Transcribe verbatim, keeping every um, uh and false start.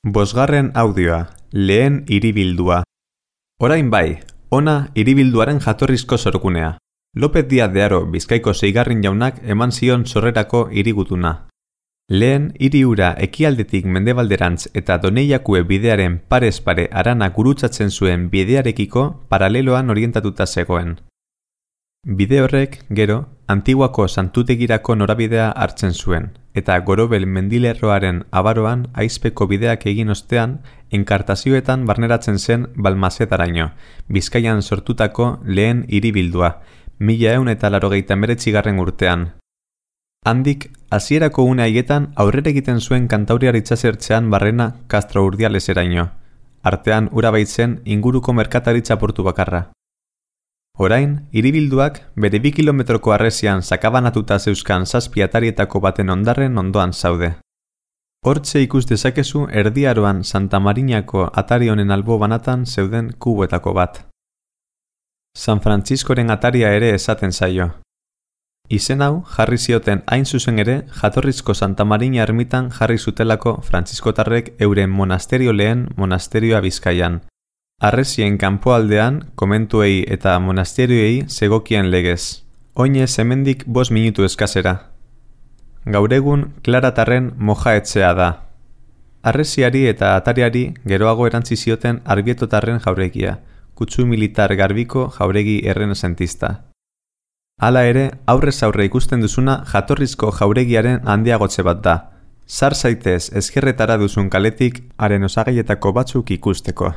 Bosgarren audioa, lehen hiribildua. Orain bai, ona hiribilduaren jatorrizko sorgunea. López Díaz de Haro Bizkaiko seigarren jaunak eman zion sorrerako hirigutuna. Lehen hiri hura ekialdetik mendebalderantz eta Doneiakue bidearen parez pare harana gurutzatzen zuen bidearekiko paraleloan orientatuta zegoen. Bide horrek, gero, Antiguako santutegirako norabidea hartzen zuen, eta Gorobel mendilerroaren abaroan aizpeko bideak egin ostean, enkartazioetan barneratzen zen Balmasedaraino, Bizkaian sortutako lehen hiribildua, mila ehun eta laurogeita hemeretzigarren urtean. Handik, hasierako une haietan aurrera egiten zuen Kantauriar itsasertzean barrena Castro Urdialeseraino, artean ura baitzen inguruko merkataritza portu bakarra. Orain, hiribilduak bere bi kilometroko harresian sakabanatuta zeuzkan zazpi atarietako baten ondarren ondoan zaude. Hortxe ikus dezakezu Erdi Aroan Santa Marinako atari honen albo banatan zeuden kuboetako bat. San Frantziskoren ataria ere esaten zaio. Izen hau jarri zioten hain zuzen ere jatorrizko Santa Marina ermitan jarri zutelako frantziskotarrek euren monasterio lehen monasterioa Bizkaian. Harresien kanpoaldean, komentuei eta monasterioei zegokien legez. Oinez hemendik bost minutu eskasera. Gaur egun Klaratarren mojaetzea da. Harresiari eta atariari geroago erantzi zioten Arbietotarren jauregia, kutsu militar garbiko jauregi errenezentista. Hala ere, aurrez aurre ikusten duzuna jatorrizko jauregiaren handiagotze bat da. Sar zaitez ezkerretara duzun kaletik haren osagaietako batzuk ikusteko.